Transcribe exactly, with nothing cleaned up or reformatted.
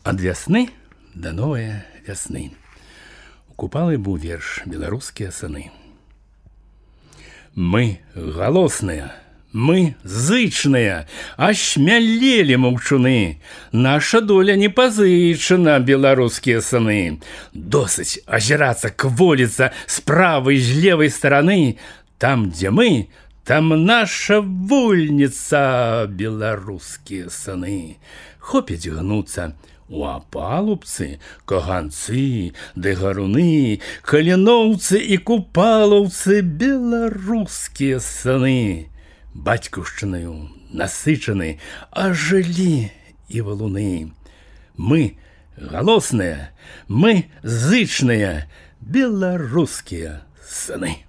Ад вясны да новае вясны. У Купалы быў верш «Беларускія сыны». Мы галосныя, мы зычныя, ашмялелі маўчуны. Наша доля не пазычана, беларускія сыны. Досыць азірацца, кволіцца з правай, з левай стараны. Там, дзе мы, там наша вольніца, беларускія сыны. Хопіць гнуцца у апалубцы, каганцы, ды гаруны, каліноўцы і купалаўцы, беларускія сыны. Бацькаўшчынаю насычаны ажылі і валуны. Мы галосныя, мы зычныя, беларускія сыны.